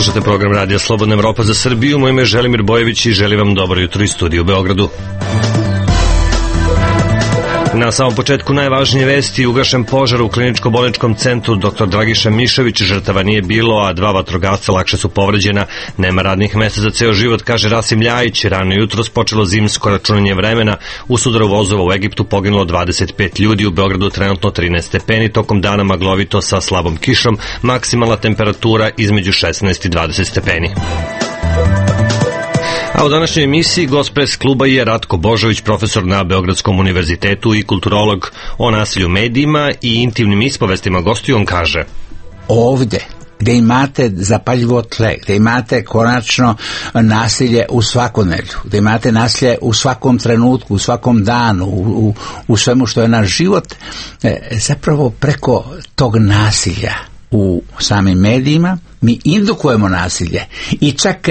Slušate program Radija Slobodna Evropa za Srbiju. Moje ime je Želimir Bojević i želim vam dobro jutro iz studija u Beogradu. Na samom početku najvažnije vesti: ugašen požar u kliničko-bolničkom centru Dr. Dragiša Mišović, žrtava nije bilo, a 2 vatrogasca lakše su povređena. Nema radnih mesta za ceo život, kaže Rasim Ljajić. Rano jutros počelo zimsko računanje vremena. U sudaru vozova u Egiptu poginulo 25 ljudi, u Beogradu trenutno 13 stepeni, tokom dana maglovito sa slabom kišom, maksimalna temperatura između 16 i 20 stepeni. A u današnjoj emisiji gost pres kluba je Ratko Božović, profesor na Beogradskom univerzitetu i kulturolog. O nasilju u medijima i intimnim ispovestima gostiju on kaže: ovde gde imate zapaljivo tle, gde imate konačno nasilje u svakodnevlju, gde imate nasilje u svakom trenutku, u svakom danu, u svemu što je naš život, zapravo preko tog nasilja u samim medijima mi indukujemo nasilje i čak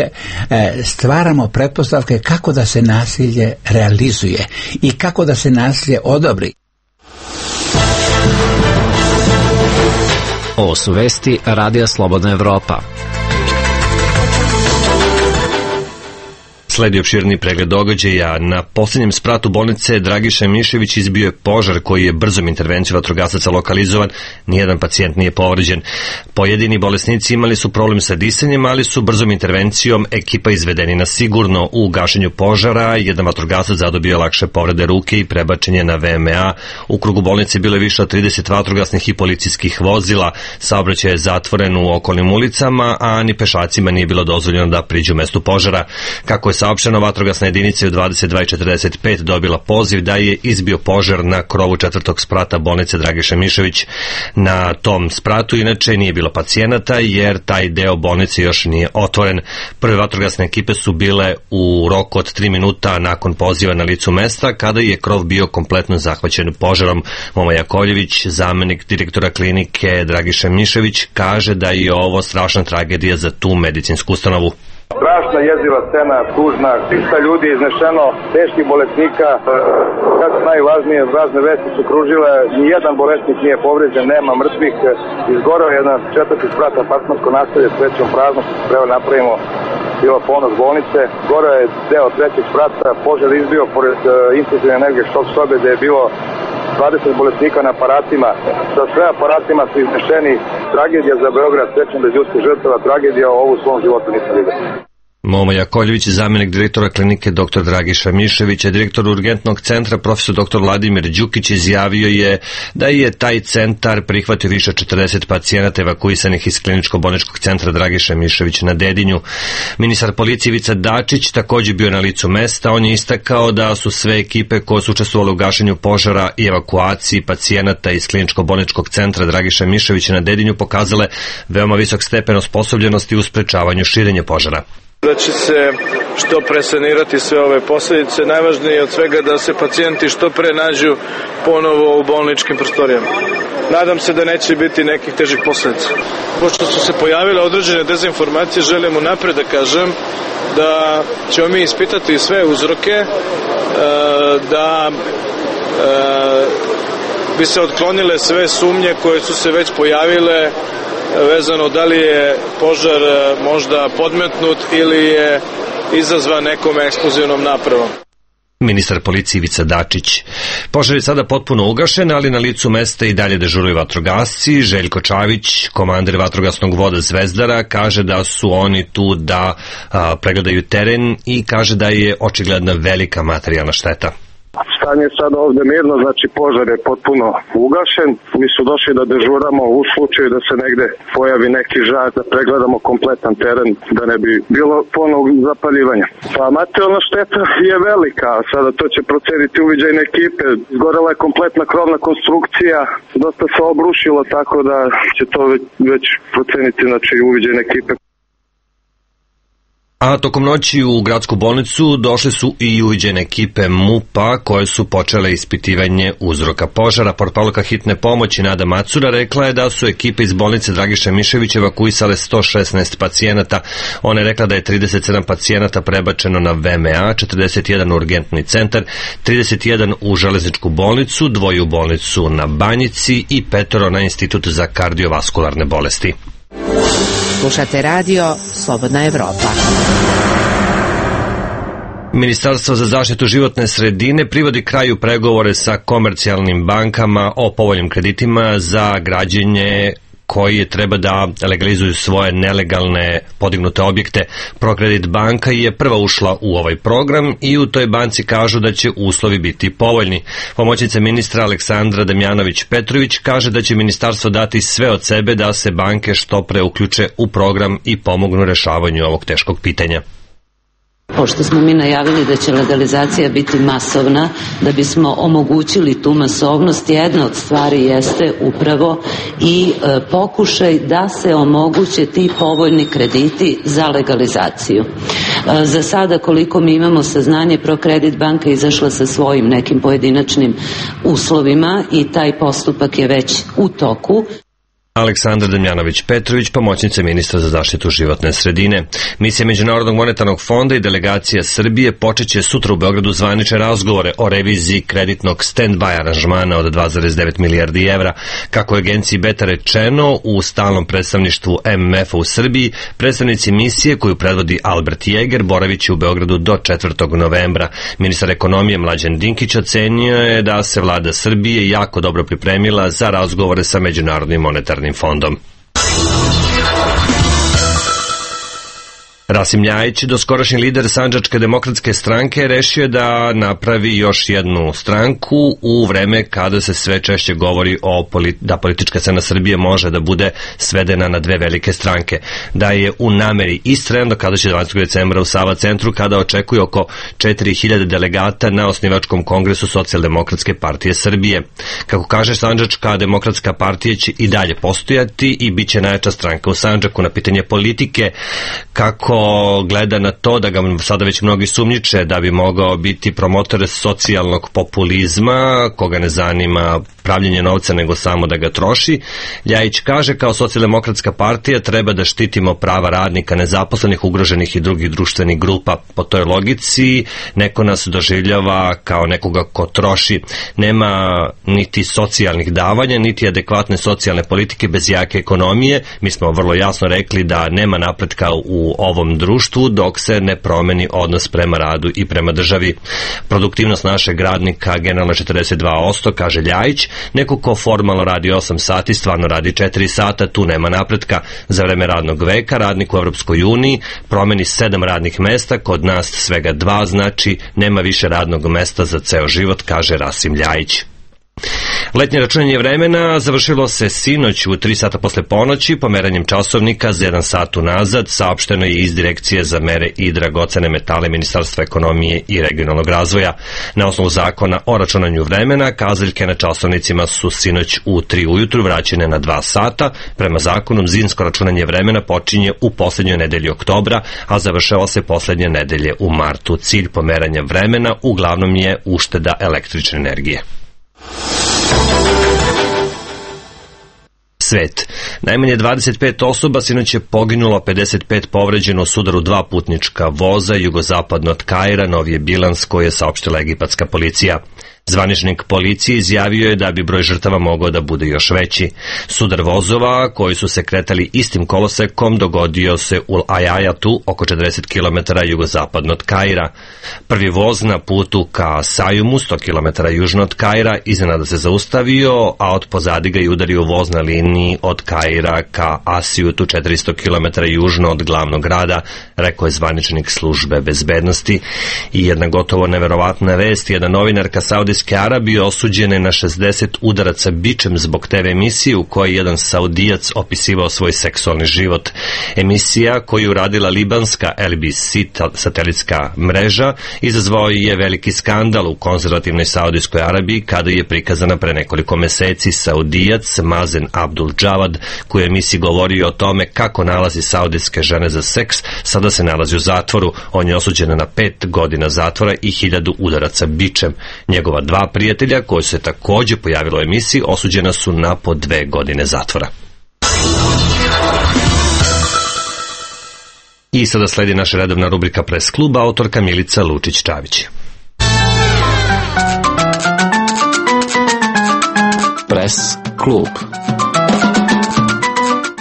stvaramo pretpostavke kako da se nasilje realizuje i kako da se nasilje odobri. Ovo su vesti Radija Slobodna Evropa. Sledi opširni pregled događaja. Na posljednjem spratu bolnice Dragiša Mišević izbio je požar koji je brzom intervencijom vatrogasaca lokalizovan. Nijedan pacijent nije povređen. Pojedini bolesnici imali su problem sa disanjem, ali su brzom intervencijom ekipa izvedeni na sigurno. U gašenju požara jedan vatrogasac zadobio lakše povrede ruke i prebačen je na VMA. U krugu bolnice bilo je više od 30 vatrogasnih i policijskih vozila. Saobraćaj je zatvoren u okolnim ulicama, a ni pešacima nije bilo dozvoljeno da priđu mestu požara. Kako je saopšteno, vatrogasna jedinica u 22:45 dobila poziv da je izbio požar na krovu 4. sprata bolnice Dragiša Mišović. Na tom spratu inače nije bilo pacijenata jer taj deo bolnice još nije otvoren. Prve vatrogasne ekipe su bile u roku od 3 minuta nakon poziva na licu mesta, kada je krov bio kompletno zahvaćen požarom. Moma Jakovljević, zamenik direktora klinike Dragiša Mišović, kaže da je ovo strašna tragedija za tu medicinsku ustanovu. Strašna, jeziva scena, tužna, 300 ljudi iznešeno, teških bolesnika. Kako najvažnije, razne vesti su kružile, nijedan bolesnik nije povređen, nema mrtvih. Izgorao je jedan 4. sprat, apartmansko naselje, srećom prazno, što se treba napravimo, bilo ponos bolnice. Gorao je deo 3. sprata, požar izbio pored intenzivne energije šok sobe, gde je bilo 20 bolesnika na aparatima. Sa sve aparatima su iznešeni. Tragedija za Beograd, srećom bez ljudskih žrtava, tragedija ovu u svom životu nisam vidio. Moma Jakovljević, zamenik direktora klinike Dr. Dragiša Miševića. Direktor urgentnog centra, profesor dr. Vladimir Đukić, izjavio je da je taj centar prihvatio više od 40 pacijenata evakuisanih iz kliničko-bolničkog centra Dragiša Mišević na Dedinju. Ministar policije Ivica Dačić također bio na licu mesta. On je istakao da su sve ekipe koje su učestvovale u gašenju požara i evakuaciji pacijenata iz kliničko-bolničkog centra Dragiša Miševića na Dedinju pokazale veoma visok stepen osposobljenosti u sprečavanju širenja požara. Da će se što pre sanirati sve ove posljedice. Najvažnije je od svega da se pacijenti što pre nađu ponovo u bolničkim prostorijama. Nadam se da neće biti nekih težih posljedica. Pošto su se pojavile određene dezinformacije, želim unapred da kažem da ćemo mi ispitati sve uzroke, da bi se otklonile sve sumnje koje su se već pojavile vezano da li je požar možda podmetnut ili je izazvan nekom eksplozivnom napravom. Ministar policije Ivica Dačić. Požar je sada potpuno ugašen, ali na licu mesta i dalje dežuruju vatrogasci. Željko Čavić, komandir vatrogasnog voda Zvezdara, kaže da su oni tu da pregledaju teren i kaže da je očigledna velika materijalna šteta. Stanje je sada ovde mirno, znači požar je potpuno ugašen. Mi su došli da dežuramo u slučaju da se negde pojavi neki žar, da pregledamo kompletan teren, da ne bi bilo ponovog zapaljivanja. Pa materijalna šteta je velika, sada to će proceniti uviđajne ekipe. Zgorela je kompletna krovna konstrukcija, dosta se obrušilo, tako da će to već proceniti, znači, uviđajne ekipe. A tokom noći u gradsku bolnicu došle su i uviđene ekipe MUP-a koje su počele ispitivanje uzroka požara. Portparolka hitne pomoći Nada Macura rekla je da su ekipe iz bolnice Dragiša Mišević evakuisale 116 pacijenata. Ona je rekla da je 37 pacijenata prebačeno na VMA, 41 u urgentni centar, 31 u železničku bolnicu, 2 u bolnicu na Banjici i 5 na Institut za kardiovaskularne bolesti. Slušate radio Slobodna Evropa. Ministarstvo za zaštitu životne sredine privodi kraju pregovore sa komercijalnim bankama o povoljnim kreditima za građenje koji treba da legalizuju svoje nelegalne podignute objekte. Prokredit banka je prva ušla u ovaj program i u toj banci kažu da će uslovi biti povoljni. Pomoćnica ministra Aleksandra Damjanović-Petrović kaže da će ministarstvo dati sve od sebe da se banke što pre uključe u program i pomognu rešavanju ovog teškog pitanja. Pošto smo mi najavili da će legalizacija biti masovna, da bismo omogućili tu masovnost, jedna od stvari jeste upravo i pokušaj da se omoguće ti povoljni krediti za legalizaciju. Za sada, koliko mi imamo saznanje, Prokredit banka izašla sa svojim nekim pojedinačnim uslovima i taj postupak je već u toku. Aleksandra Damjanović-Petrović, pomoćnica ministra za zaštitu životne sredine. Misija Međunarodnog monetarnog fonda i delegacija Srbije počeće sutra u Beogradu zvanične razgovore o reviziji kreditnog stand-by aranžmana od 2,9 milijardi evra. Kako je agenciji Beta rečeno, u stalnom predstavništvu MMF-a u Srbiji, predstavnici misije koju predvodi Albert Jeger boravit će u Beogradu do 4. novembra. Ministar ekonomije Mlađan Dinkić ocenio je da se vlada Srbije jako dobro pripremila za razgovore sa Međunarodnim monetarnim fondom. Rasim Ljajić, doskorašnji lider Sandžačke demokratske stranke, rešio je da napravi još jednu stranku u vreme kada se sve češće govori da politička scena Srbije može da bude svedena na dve velike stranke. Da je u nameri istrajan do kada će 12. decembra u Sava centru, kada očekuje oko 4000 delegata na osnivačkom kongresu Socijaldemokratske partije Srbije. Kako kaže, Sandžačka demokratska partija će i dalje postojati i bit će najjača stranka u Sandžaku. Na pitanje politike, kako gleda na to da ga sada već mnogi sumnjiče da bi mogao biti promotor socijalnog populizma, koga ne zanima pravljenje novca nego samo da ga troši, Ljajić kaže, kao Socijaldemokratska partija treba da štitimo prava radnika, nezaposlenih, ugroženih i drugih društvenih grupa. Po toj logici neko nas doživljava kao nekoga ko troši. Nema niti socijalnih davanja, niti adekvatne socijalne politike bez jake ekonomije. Mi smo vrlo jasno rekli da nema napretka u ovom društvu dok se ne promeni odnos prema radu i prema državi. Produktivnost našeg radnika generalno 42%, kaže Ljajić. Neko ko formalno radi 8 sati, stvarno radi 4 sata, tu nema napretka. Za vreme radnog veka radnik u Evropskoj uniji promeni 7 radnih mesta, kod nas svega 2, znači nema više radnog mesta za ceo život, kaže Rasim Ljajić. Letnje računanje vremena završilo se sinoć u 3 sata posle ponoći pomeranjem časovnika za 1 sat unazad, saopšteno je iz Direkcije za mere i dragocene metale Ministarstva ekonomije i regionalnog razvoja. Na osnovu zakona o računanju vremena, kazaljke na časovnicima su sinoć u 3 ujutru vraćene na 2 sata. Prema zakonu, zimsko računanje vremena počinje u poslednjoj nedelji oktobra, a završava se poslednje nedelje u martu. Cilj pomeranja vremena uglavnom je ušteda električne energije. Svet. Najmanje 25 osoba sinoć je poginulo, 55 povređeno u sudaru 2 putnička voza jugozapadno od Kaira, novi je bilans koji je saopštila egipatska policija. Zvaničnik policije izjavio je da bi broj žrtava mogao da bude još veći. Sudar vozova koji su se kretali istim kolosekom dogodio se u Ajajatu, oko 40 km jugozapadno od Kaira. Prvi voz na putu ka Sajumu, 100 km južno od Kaira, iznenada se zaustavio, a od pozadi ga je udario voz na liniji od Kaira ka Asijutu, 400 km južno od glavnog grada, rekao je zvaničnik službe bezbednosti. I jedna gotovo neverovatna vest, jedna novinarka Saudijske Arabije osuđene na 60 udaraca bičem zbog TV emisije u kojoj jedan Saudijac opisivao svoj seksualni život. Emisija koju je uradila libanska LBC satelitska mreža izazvao je veliki skandal u konzervativnoj Saudijskoj Arabiji kada je prikazana pre nekoliko meseci Saudijac Mazen Abdul Javad, koji je emisiji govorio o tome kako nalazi saudijske žene za seks, sada se nalazi u zatvoru. On je osuđen na 5 godina zatvora i 1000 udaraca bičem. Njegova 2 prijatelja koji se takođe pojavilo u emisiji osuđena su na po 2 godine zatvora. I sada sledi naša redovna rubrika Pres kluba, autorka Milica Lučić-Čavić. Pres klub.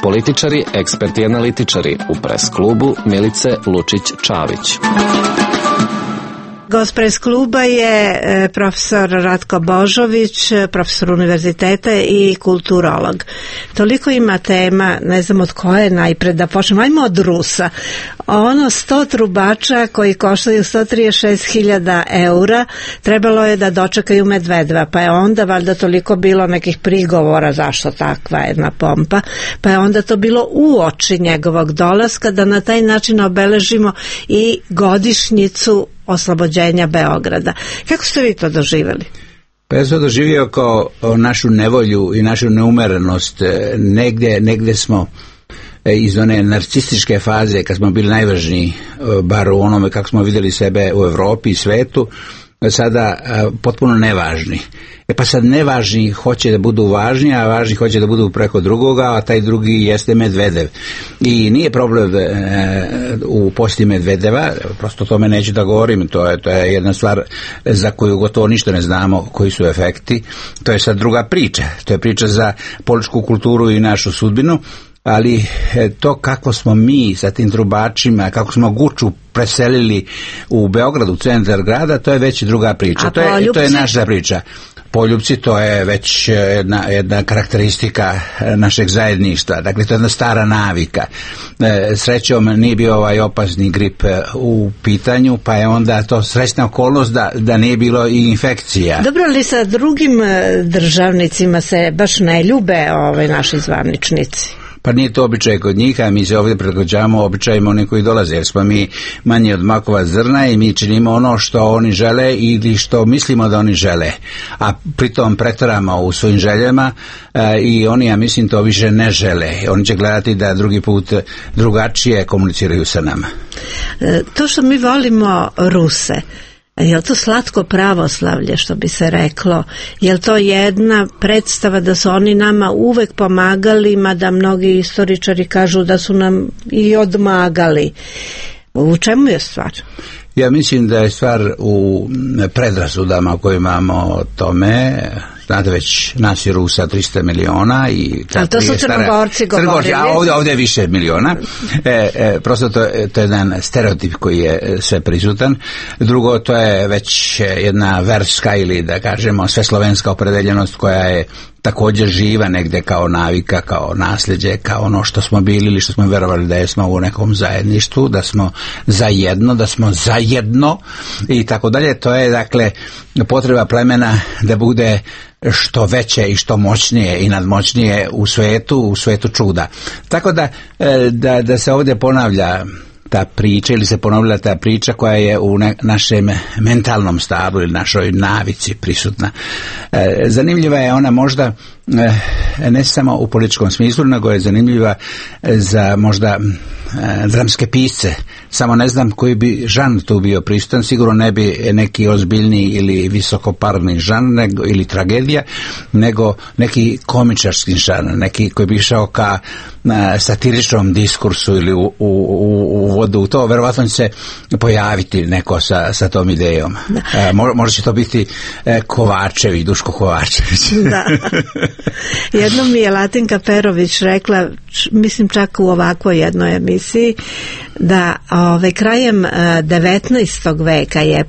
Političari, eksperti i analitičari u Pres klubu Milice Lučić-Čavić. Gost Pres kluba je profesor Ratko Božović, profesor univerziteta i kulturolog. Toliko ima tema, ne znam od koje najpred da počnemo. Ajmo od Rusa. 100 trubača koji koštaju 136.000 eura trebalo je da dočekaju Medvedeva, pa je onda valjda toliko bilo nekih prigovora zašto takva jedna pompa, pa je onda to bilo uoči njegovog dolaska da na taj način obeležimo i godišnjicu oslobođenja Beograda. Kako ste vi to doživjeli? Pa ja sam doživio kao našu nevolju i našu neumerenost. Negdje smo iz one narcističke faze kad smo bili najvažniji, bar u onome kako smo vidjeli sebe u Europi i svetu, sada potpuno nevažni. Pa sad nevažni hoće da budu važni, a važni hoće da budu preko drugoga, a taj drugi jeste Medvedev. I nije problem u posjeti Medvedeva, prosto o tome neću da govorim, to je jedna stvar za koju gotovo ništa ne znamo koji su efekti. To je sad druga priča, to je priča za političku kulturu i našu sudbinu. Ali to kako smo mi sa tim trubačima, kako smo Guču preselili u Beogradu, u centar grada, to je već druga priča. To je naša priča. Poljupci, to je već jedna karakteristika našeg zajedništva. Dakle, to je jedna stara navika. Srećom nije bio ovaj opasni grip u pitanju, pa je onda to srećna okolnost da nije bilo i infekcija. Dobro, ali sa drugim državnicima se baš ne ljube naši zvaničnici? Pa nije to običaj kod njih, a mi se ovdje prilagođavamo običajima oni koji dolaze, jer smo mi manji od makova zrna i mi činimo ono što oni žele ili što mislimo da oni žele, a pritom pretvaramo u svojim željama i oni, ja mislim, to više ne žele. Oni će gledati da drugi put drugačije komuniciraju sa nama. To što mi volimo Ruse, je li to slatko pravoslavlje, što bi se reklo? Je li to jedna predstava da su oni nama uvek pomagali, mada mnogi istoričari kažu da su nam i odmagali? U čemu je stvar? Ja mislim da je stvar u predrasudama koje imamo o tome. Znate, već nas je Rusa 300 miliona i ali to su Crnogorci govorili. A ovdje je više miliona. Prosto to je jedan stereotip koji je sve prisutan. Drugo, to je već jedna verska ili da kažemo sveslovenska opredeljenost koja je također živa negdje kao navika, kao nasljeđe, kao ono što smo bili ili što smo verovali da smo u nekom zajedništvu, da smo zajedno i tako dalje. To je dakle potreba plemena da bude što veće i što moćnije i nadmoćnije u svetu čuda. Tako da se ovdje ponavlja ta priča ili se ponovila ta priča koja je u našem mentalnom stablu ili našoj navici prisutna. Zanimljiva je ona možda ne samo u političkom smislu, nego je zanimljiva za možda dramske pisce. Samo ne znam koji bi žanr tu bio prisutan, sigurno ne bi neki ozbiljni ili visokoparni žanr ili tragedija, nego neki komičarski žanr, neki koji bi išao ka satiričnom diskursu ili u vodu. To verovatno će se pojaviti neko sa tom idejom. Možda će to biti Kovačević, Duško Kovačević. Da. Jednom mi je Latinka Perović rekla, mislim čak u ovakvoj jednoj emisiji, da krajem 19. veka je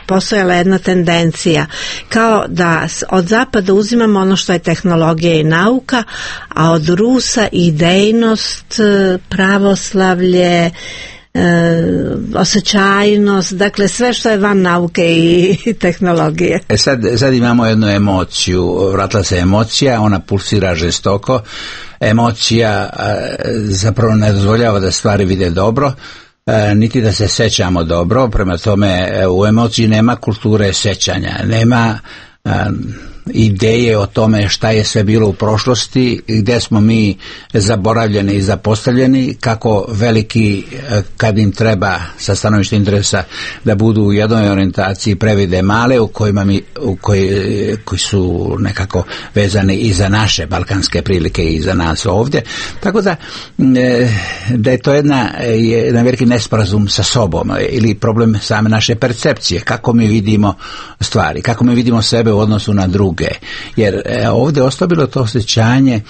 postojala jedna tendencija kao da od zapada uzimamo ono što je tehnologija i nauka, a od Rusa idejnost, pravoslavlje, osjećajnost, dakle sve što je van nauke i tehnologije. Sad imamo jednu emociju, vratila se emocija, ona pulsira žestoko. Emocija zapravo ne dozvoljava da stvari vide dobro, niti da se sećamo dobro, prema tome u emociji nema kulture sećanja, nema ideje o tome šta je sve bilo u prošlosti, gdje smo mi zaboravljeni i zapostavljeni, kako veliki kad im treba sa stanovišta interesa da budu u jednoj orijentaciji previde male koji su nekako vezani i za naše balkanske prilike i za nas ovdje. Tako da je to jedan veliki nesporazum sa sobom ili problem same naše percepcije, kako mi vidimo stvari, kako mi vidimo sebe u odnosu na druge. Jer ovdje ostavilo to osjećanje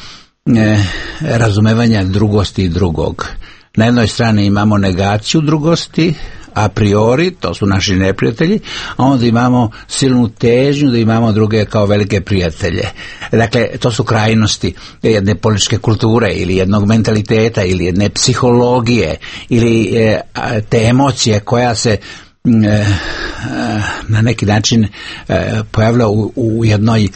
razumevanja drugosti i drugog. Na jednoj strani imamo negaciju drugosti, a priori, to su naši neprijatelji, a onda imamo silnu težnju da imamo druge kao velike prijatelje. Dakle, to su krajnosti jedne političke kulture ili jednog mentaliteta ili jedne psihologije ili te emocije koja se na neki način pojavlja u jednoj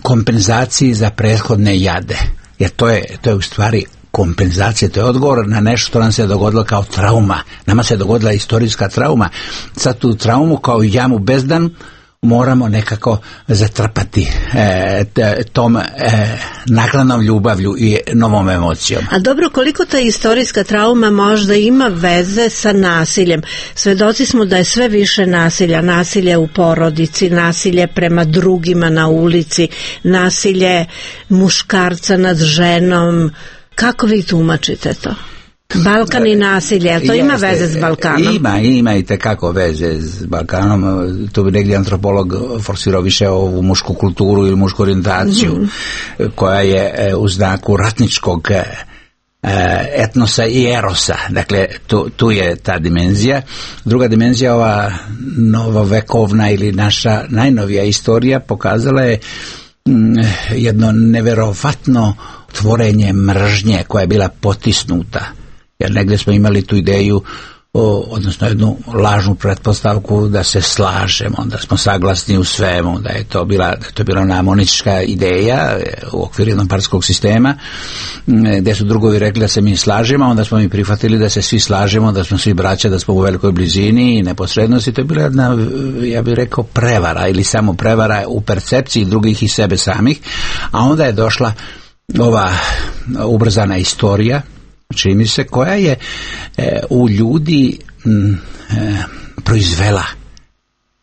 kompenzaciji za prethodne jade. Jer to je u stvari kompenzacija, to je odgovor na nešto što nam se dogodilo kao trauma. Nama se dogodila istorijska trauma. Sad tu traumu kao jamu bezdan moramo nekako zatrpati tom naknadnom ljubavlju i novom emocijom. A dobro, koliko ta istorijska trauma možda ima veze sa nasiljem? Svedoci smo da je sve više nasilja, nasilje u porodici, nasilje prema drugima na ulici, nasilje muškarca nad ženom. Kako vi tumačite to? Balkan i nasilje, to ima veze s Balkanom? Ima i tekako veze s Balkanom. Tu bi negdje antropolog forsirao više ovu mušku kulturu ili mušku orijentaciju koja je u znaku ratničkog etnosa i erosa. Dakle, tu je ta dimenzija. Druga dimenzija, ova novovekovna ili naša najnovija istorija pokazala je jedno neverovatno tvorenje mržnje koja je bila potisnuta. Jer negdje smo imali tu ideju, odnosno jednu lažnu pretpostavku da se slažemo, da smo saglasni u svemu, da je to bila ona monistička ideja u okviru jednopartijskog sistema, gdje su drugovi rekli da se mi slažemo, onda smo mi prihvatili da se svi slažemo, da smo svi braća, da smo u velikoj blizini i neposrednosti. To je bila jedna, ja bih rekao, prevara ili samo prevara u percepciji drugih i sebe samih, a onda je došla ova ubrzana istorija, čini mi se, koja je u ljudi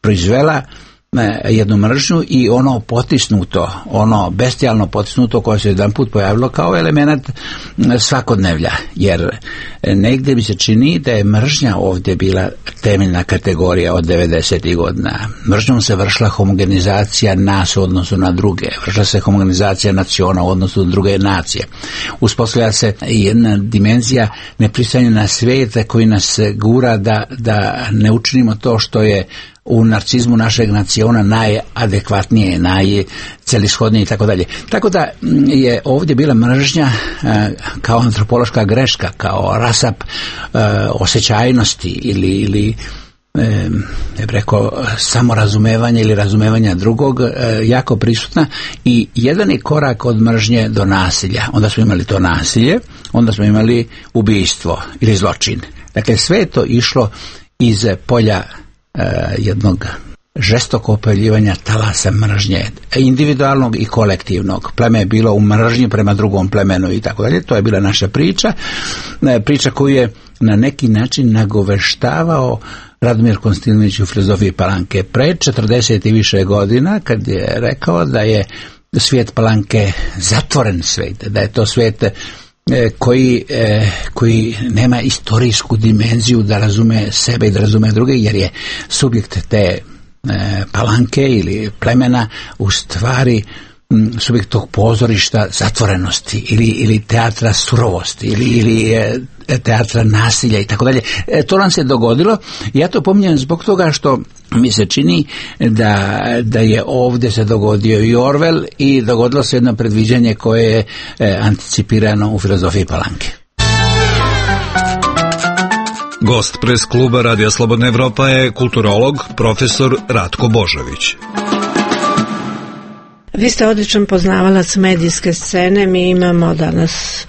proizvela jednu mržnju i ono potisnuto, ono bestijalno potisnuto koje se jedan put pojavilo kao element svakodnevlja, jer negdje mi se čini da je mržnja ovdje bila temeljna kategorija od 90. godina. Mržnjom se vršila homogenizacija nas u odnosu na druge, vršila se homogenizacija naciona u odnosu na druge nacije. Uspostavlja se jedna dimenzija nepristajanja na svijet koji nas gura da ne učinimo to što je u narcizmu našeg naciona najadekvatnije, najcelishodnije i tako dalje. Tako da je ovdje bila mržnja kao antropološka greška, kao rasap osjećajnosti ili ja bih rekao samorazumevanja ili razumevanja drugog jako prisutna i jedan je korak od mržnje do nasilja. Onda smo imali to nasilje, onda smo imali ubijstvo ili zločin. Dakle, sve je to išlo iz polja jednog žestoko opojljivanja talasa mržnje, individualnog i kolektivnog. Pleme je bilo u mržnji prema drugom plemenu i tako dalje. To je bila naša priča koju je na neki način nagoveštavao Radomir Konstantinović u filozofiji Palanke pred 40 i više godina, kad je rekao da je svijet Palanke zatvoren svijet, da je to svijet koji nema istorijsku dimenziju da razume sebe i da razume druge, jer je subjekt te Palanke ili plemena u stvari subjekt tog pozorišta zatvorenosti ili teatra surovosti ili teatra nasilja i tako dalje. To nam se dogodilo. Ja to pominjem zbog toga što mi se čini da je ovdje se dogodio i Orwell i dogodilo se jedno predviđanje koje je anticipirano u filozofiji Palanke. Gost pres kluba Radija Slobodna Evropa je kulturolog profesor Ratko Božović. Vi ste odličan poznavalac medijske scene, mi imamo danas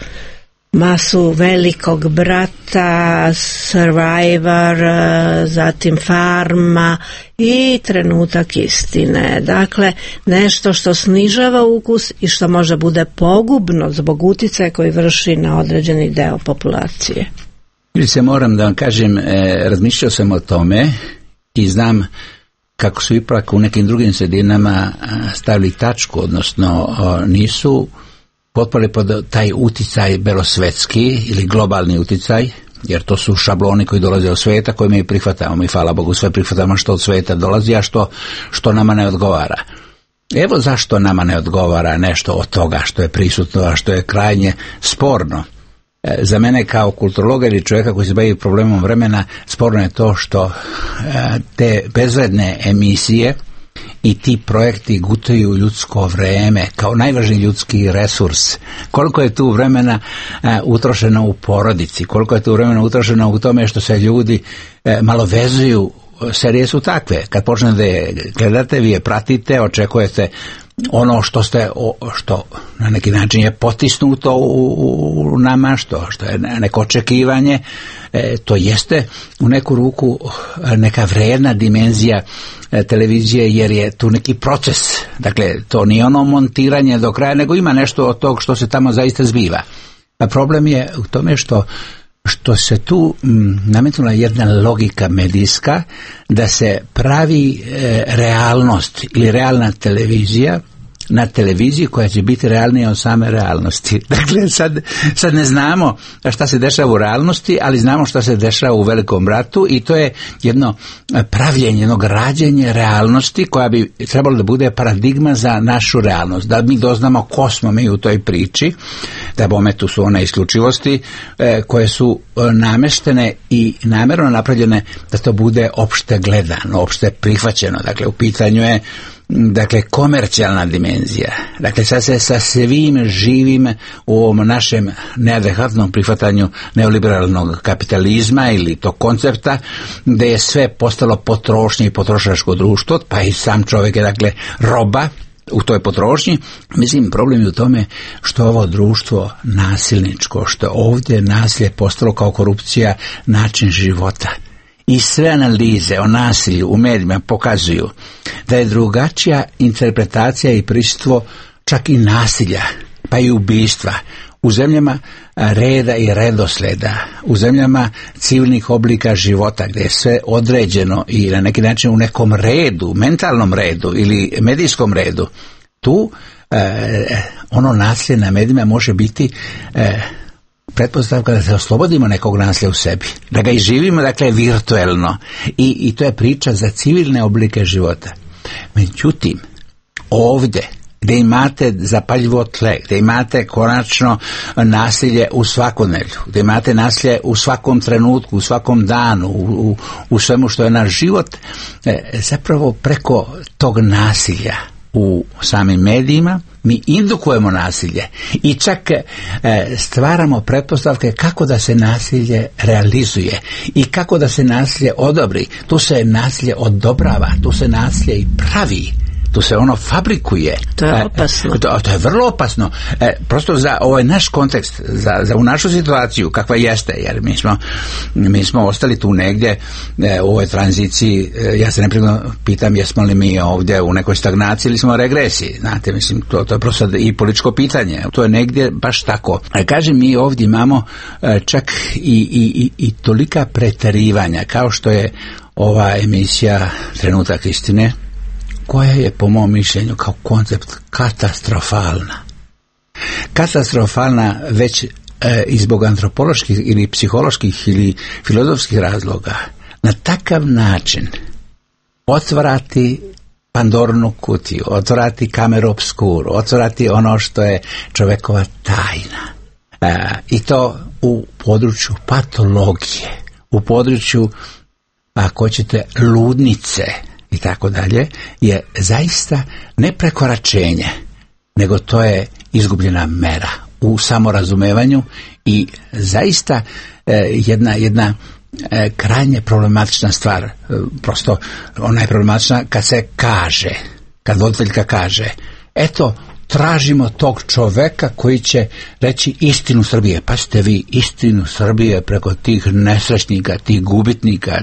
masu Velikog brata, Survivor, zatim Farma i Trenutak istine. Dakle, nešto što snižava ukus i što može bude pogubno zbog uticaja koji vrši na određeni deo populacije. Ili se moram da vam kažem, razmišljao sam o tome i znam kako su ipak u nekim drugim sredinama stavili tačku, odnosno nisu potpali pod taj uticaj belosvetski ili globalni uticaj, jer to su šabloni koji dolaze od svijeta koje mi prihvatamo. Mi, hvala Bogu, sve prihvatamo što od svijeta dolazi, a što nama ne odgovara. Evo zašto nama ne odgovara nešto od toga što je prisutno, a što je krajnje sporno. Za mene kao kulturologa ili čovjeka koji se bavi problemom vremena, sporno je to što te bezvredne emisije i ti projekti gutaju ljudsko vreme kao najvažniji ljudski resurs. Koliko je tu vremena utrošeno u porodici, koliko je tu vremena utrošeno u tome što se ljudi malo vezuju. Serije su takve, kad počnete da je gledate, vi je pratite, očekujete ono što na neki način je potisnuto u nama, što je neko očekivanje, to jeste u neku ruku neka vrijedna dimenzija televizije, jer je tu neki proces. Dakle, to nije ono montiranje do kraja, nego ima nešto od tog što se tamo zaista zbiva. A problem je u tome što se tu nametnula jedna logika medijska da se pravi realnost ili realna televizija na televiziji koja će biti realnija od same realnosti. Dakle, sad ne znamo šta se dešava u realnosti, ali znamo šta se dešava u Velikom bratu i to je jedno pravljenje, jedno građenje realnosti koja bi trebalo da bude paradigma za našu realnost. Da mi doznamo ko smo mi u toj priči, da bome tu su one isključivosti koje su nameštene i namjerno napravljene da to bude opšte gledano, opšte prihvaćeno. Dakle, u pitanju je komercijalna dimenzija. Dakle, sad se sa svim živim u ovom našem neadekvatnom prihvatanju neoliberalnog kapitalizma ili tog koncepta, gdje je sve postalo potrošnje i potrošačko društvo, pa i sam čovjek je roba u toj potrošnji. Mislim, problem je u tome što ovo društvo nasilničko, što ovdje nasilje postalo kao korupcija način života. I sve analize o nasilju u medijima pokazuju da je drugačija interpretacija i prisustvo čak i nasilja, pa i ubistva u zemljama reda i redosleda, u zemljama civilnih oblika života gdje je sve određeno i na neki način u nekom redu, mentalnom redu ili medijskom redu. Tu ono nasilje na medijima može biti pretpostavka da se oslobodimo nekog nasilja u sebi, da ga i živimo, dakle, virtuelno. I to je priča za civilne oblike života. Međutim, ovdje gdje imate zapaljivo tle, gdje imate konačno nasilje u svakodnevlju, gdje imate nasilje u svakom trenutku, u svakom danu, u svemu što je naš život, zapravo preko tog nasilja u samim medijima mi indukujemo nasilje i čak stvaramo pretpostavke kako da se nasilje realizuje i kako da se nasilje odobri. Tu se nasilje odobrava, tu se nasilje i pravi, tu se ono fabrikuje. To je opasno. To je vrlo opasno. Prosto za ovaj naš kontekst, za u našu situaciju kakva jeste, jer mi smo ostali tu negdje u ovoj tranziciji. Ja se neprekidno pitam jesmo li mi ovdje u nekoj stagnaciji ili smo u regresiji. Znate, mislim, to je prosto i političko pitanje. To je negdje baš tako. Kažem, mi ovdje imamo čak i tolika preterivanja, kao što je ova emisija Trenutak istine, koja je po mom mišljenju kao koncept katastrofalna. Katastrofalna već i zbog antropoloških ili psiholoških ili filozofskih razloga. Na takav način otvarati Pandorinu kutiju, otvarati kameru obskuru, otvarati ono što je čovjekova tajna. I to u području patologije, u području, ako hoćete, ludnice i tako dalje, je zaista ne prekoračenje, nego to je izgubljena mera u samorazumevanju i zaista jedna krajnje problematična stvar. Prosto ona je problematična kad se kaže, kad voditeljka kaže, eto, tražimo tog čoveka koji će reći istinu Srbije. Pa ste vi istinu Srbije preko tih nesrećnika, tih gubitnika,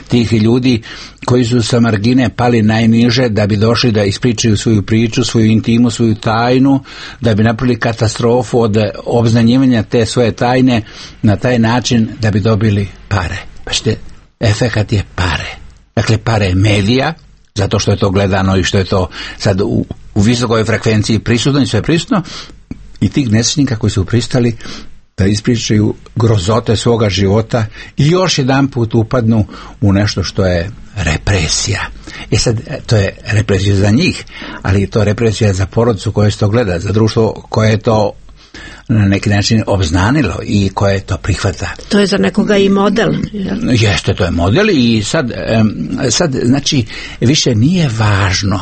tih ljudi koji su sa margine pali najniže da bi došli da ispričaju svoju priču, svoju intimu, svoju tajnu, da bi napravili katastrofu od obznanjivanja te svoje tajne na taj način da bi dobili pare. Pa ste, efekat je pare. Dakle, pare medija, zato što je to gledano i što je to sad u visokoj frekvenciji prisutno i sve prisutno, i tih nesrećnika koji su pristali da ispričaju grozote svoga života i još jedan put upadnu u nešto što je represija. sad, to je represija za njih, ali to je represija za porodicu koja se to gleda, za društvo koje je to na neki način obznanilo i koje to prihvata. To je za nekoga i model. Jeste, to je model i sad znači, više nije važno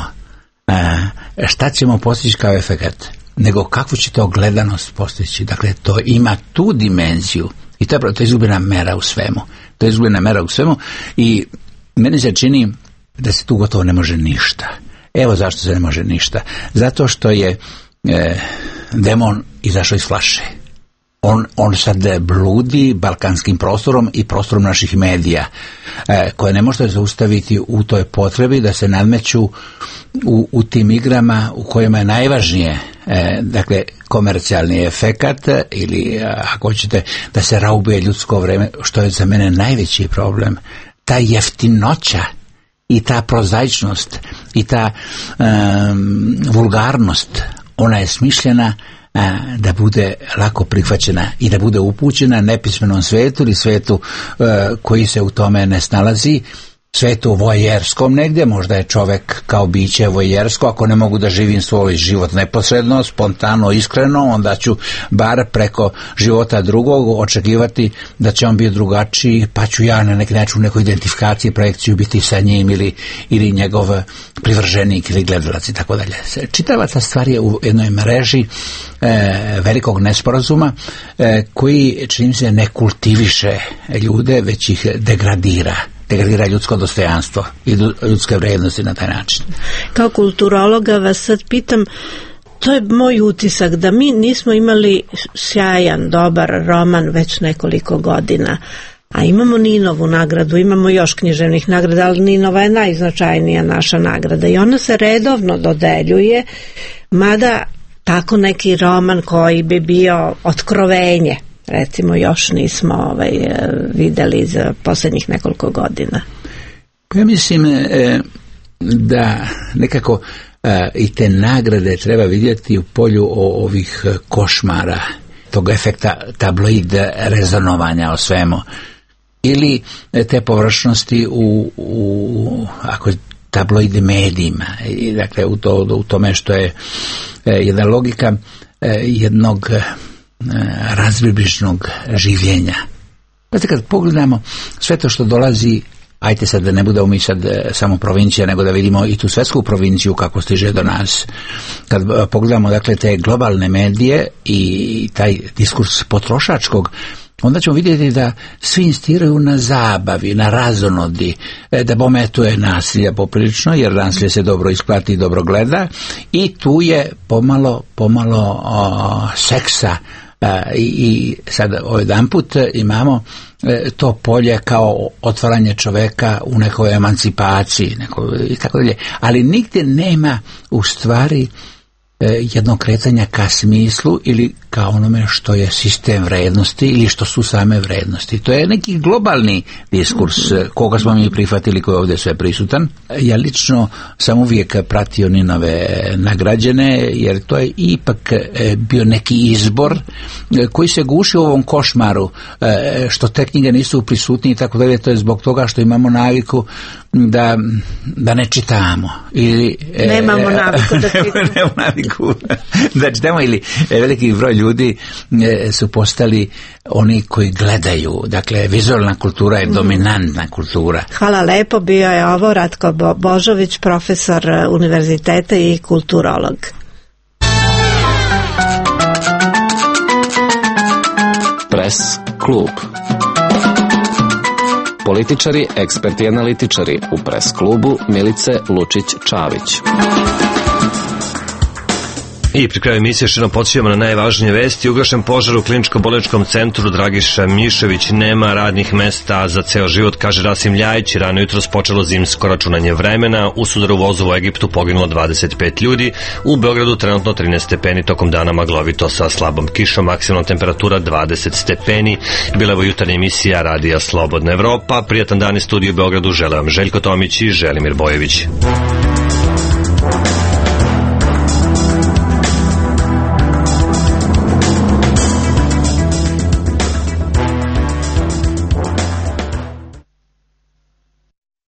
šta ćemo postići kao efekat, nego kakvu će to gledanost postići. Dakle, to ima tu dimenziju i to je izgubljena mera u svemu. To je izgubljena mera u svemu i meni se čini da se tu gotovo ne može ništa. Evo zašto se ne može ništa. Zato što je demon izašao iz flaše. On sad bludi balkanskim prostorom i prostorom naših medija, koje ne možete zaustaviti u toj potrebi da se nadmeću u tim igrama u kojima je najvažnije dakle komercijalni efekat ili ako hoćete da se raubuje ljudsko vreme, što je za mene najveći problem. Ta jeftinoća i ta prozaičnost i ta vulgarnost, ona je smišljena da bude lako prihvaćena i da bude upućena nepismenom svetu ili svetu koji se u tome ne snalazi, svetu vojerskom negdje. Možda je čovjek kao biće vojersko, ako ne mogu da živim svoj život neposredno, spontano, iskreno, onda ću bar preko života drugog očekivati da će on biti drugačiji, pa ću ja na neki način u nekoj identifikaciji, projekciju biti sa njim ili njegov privrženik ili gledalac i tako dalje. Čitava ta stvar je u jednoj mreži velikog nesporazuma koji, čini se, ne kultiviše ljude, već ih degradira ljudsko dostojanstvo i ljudske vrijednosti na taj način. Kao kulturologa vas sad pitam, to je moj utisak da mi nismo imali sjajan, dobar roman već nekoliko godina, a imamo Ninovu nagradu, imamo još književnih nagrada, ali Ninova je najznačajnija naša nagrada i ona se redovno dodeljuje, mada tako neki roman koji bi bio otkrovenje, recimo, još nismo vidjeli za posljednjih nekoliko godina. Ja mislim da nekako i te nagrade treba vidjeti u polju ovih košmara, tog efekta tabloid rezonovanja o svemu, ili te površnosti u ako tabloid medijima, i dakle u tome što je jedna logika jednog razbibličnog življenja. Znate, kad pogledamo sve to što dolazi, ajte sad da ne budemo mi sad samo provincija, nego da vidimo i tu svetsku provinciju kako stiže do nas. Kad pogledamo dakle te globalne medije i taj diskurs potrošačkog, onda ćemo vidjeti da svi insistiraju na zabavi, na razonodi, da bome tu je nasilja poprilično, jer nasilje se dobro isplati i dobro gleda, i tu je pomalo seksa. I sad jedan put imamo to polje kao otvaranje čoveka u nekoj emancipaciji i tako dalje, ali nigdje nema u stvari jednog kretanja ka smislu ili ka onome što je sistem vrednosti ili što su same vrednosti. To je neki globalni diskurs koga smo mi prihvatili, koji je ovdje sve prisutan. Ja lično sam uvijek pratio Ninove nagrađene, jer to je ipak bio neki izbor koji se guši u ovom košmaru, što te knjige nisu prisutni i tako dalje. To je zbog toga što imamo naviku da ne čitamo. Ili, nemamo naviku da čitamo. Nemamo naviku da čitamo, ili veliki broj ljudi su postali oni koji gledaju. Dakle, vizualna kultura je dominantna kultura. Hvala lepo, bio je ovo Ratko Božović, profesor univerziteta i kulturolog. Press klub. Političari, eksperti i analitičari u Press klubu Milice Lučić-Čavić. I pri kraju emisije što nam podsjećamo na najvažnije vesti. Ugašen požar u kliničko-bolničkom centru Dragiša Mišević, nema radnih mesta za ceo život, kaže Rasim Ljajić. Rano jutros počelo zimsko računanje vremena. U sudaru vozu u Egiptu poginulo 25 ljudi. U Beogradu trenutno 13 stepeni, tokom dana maglovito sa slabom kišom, maksimalna temperatura 20 stepeni. Bila je ovo jutarnja emisija Radija Slobodna Evropa. Prijatan dan iz studiju u Beogradu žele vam Željko Tomić i Želimir Bojević.